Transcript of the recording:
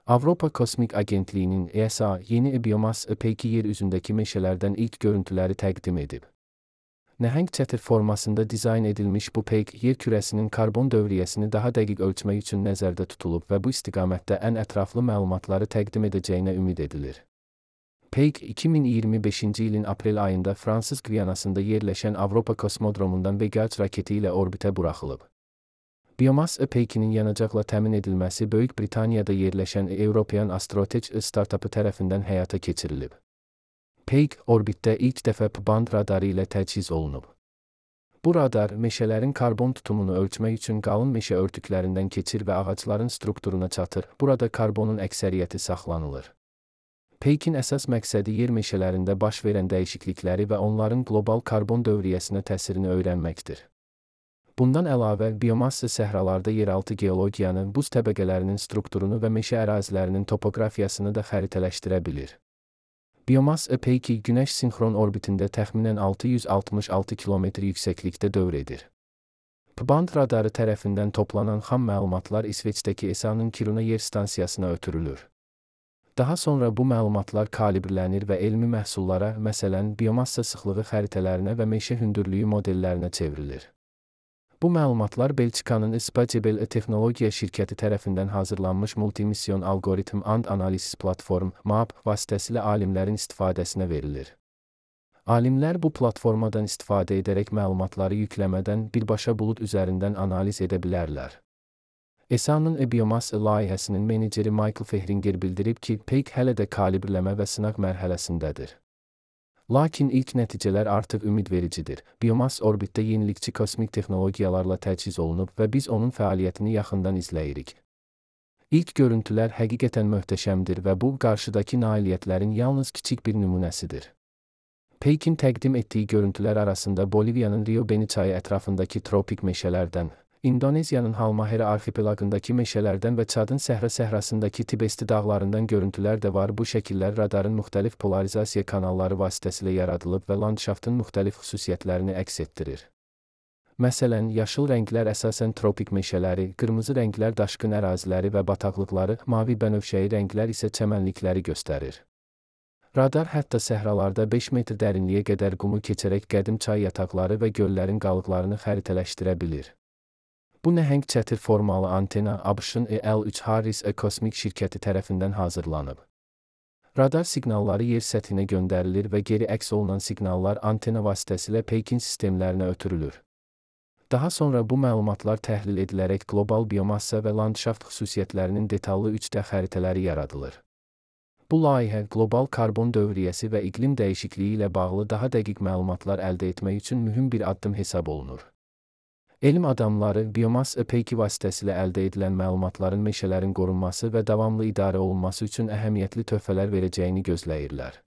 Avropa Kosmik Agentliyinin ESA yeni biomas peyki yer üzündəki meşələrdən ilk görüntüləri təqdim edib. Nəhəng çətir formasında dizayn edilmiş bu peyk yer kürəsinin karbon dövriyyəsini daha dəqiq ölçmək üçün nəzərdə tutulub və bu istiqamətdə ən ətraflı məlumatları təqdim edəcəyinə ümid edilir. Peyk 2025-ci ilin aprel ayında Fransız Qviyanasında yerləşən Avropa Kosmodromundan Vega-3 raketi ilə orbitə buraxılıb. Biomas peykinin yanacaqla təmin edilməsi Böyük Britaniyada yerləşən European Astrotech startapı tərəfindən həyata keçirilib. Peyk, orbitdə ilk dəfə P-band radarı ilə təchiz olunub. Bu radar, meşələrin karbon tutumunu ölçmək üçün qalın meşə örtüklərindən keçir və ağacların strukturuna çatır. Burada karbonun əksəriyyəti saxlanılır. Peykin əsas məqsədi yer meşələrində baş verən dəyişiklikləri və onların qlobal karbon dövriyyəsinə təsirini öyrənməkdir. Bundan əlavə, biomassa səhralarda yeraltı geologiyanı, buz təbəqələrinin strukturunu və meşə ərazilərinin topografiyasını da xəritələşdirə bilir. Biomas peyki Günəş sinxron orbitində təxminən 666 km yüksəklikdə dövr edir. P-band radarı tərəfindən toplanan xam məlumatlar İsveçdəki ESA-nın Kiruna yer stansiyasına ötürülür. Daha sonra bu məlumatlar kalibrlənir və elmi məhsullara, məsələn, biomassa sıxlığı xəritələrinə və meşə hündürlüyü modellərinə çevrilir. Bu məlumatlar Belçikanın Spatial Texnologiya şirkəti tərəfindən hazırlanmış Multimission Algorithm and Analysis Platform (MAP) vasitəsilə alimlərin istifadəsinə verilir. Alimlər bu platformadan istifadə edərək məlumatları yükləmədən birbaşa bulud üzərindən analiz edə bilərlər. ESA-nın biomas layihəsinin meneceri Michael Fehringer bildirib ki, peyk hələ də kalibrləmə və sınaq mərhələsindədir. Lakin ilk nəticələr artıq ümidvericidir. Biomas orbitdə yenilikçi kosmik texnologiyalarla təchiz olunub və biz onun fəaliyyətini yaxından izləyirik. İlk görüntülər həqiqətən möhtəşəmdir və bu, qarşıdakı nailiyyətlərin yalnız kiçik bir nümunəsidir. Peykin təqdim etdiyi görüntülər arasında Boliviyanın Rio Beni çayı ətrafındakı tropik meşələrdən, İndoneziyanın Halmahera arxipelagındakı meşələrdən və Çadın səhrasındakı Tibesti dağlarından görüntülər də var. Bu şəkillər radarın müxtəlif polarizasiya kanalları vasitəsilə yaradılıb və landşaftın müxtəlif xüsusiyyətlərini əks etdirir. Məsələn, yaşıl rənglər əsasən tropik meşələri, qırmızı rənglər daşqın əraziləri və bataqlıqları, mavi bənövşəyi rənglər isə çəmənlikləri göstərir. Radar hətta səhralarda 5 metr dərinliyə qədər qumu keçərək qədim çay yataqları və göllərin qalıqlarını xəritələşdirə bilir. Bu nəhəng çətir formalı antena ABŞ-ın L3 Harris kosmik şirkəti tərəfindən hazırlanıb. Radar siqnalları yer səthinə göndərilir və geri əks olunan siqnallar antena vasitəsilə peykin sistemlərinə ötürülür. Daha sonra bu məlumatlar təhlil edilərək qlobal biomassa və landşaft xüsusiyyətlərinin detallı 3D xəritələri yaradılır. Bu layihə qlobal karbon dövriyyəsi və iqlim dəyişikliyi ilə bağlı daha dəqiq məlumatlar əldə etmək üçün mühüm bir addım hesab olunur. Elm adamları biomas peyki vasitəsilə əldə edilən məlumatların meşələrin qorunması və davamlı idarə olunması üçün əhəmiyyətli töhfələr verəcəyini gözləyirlər.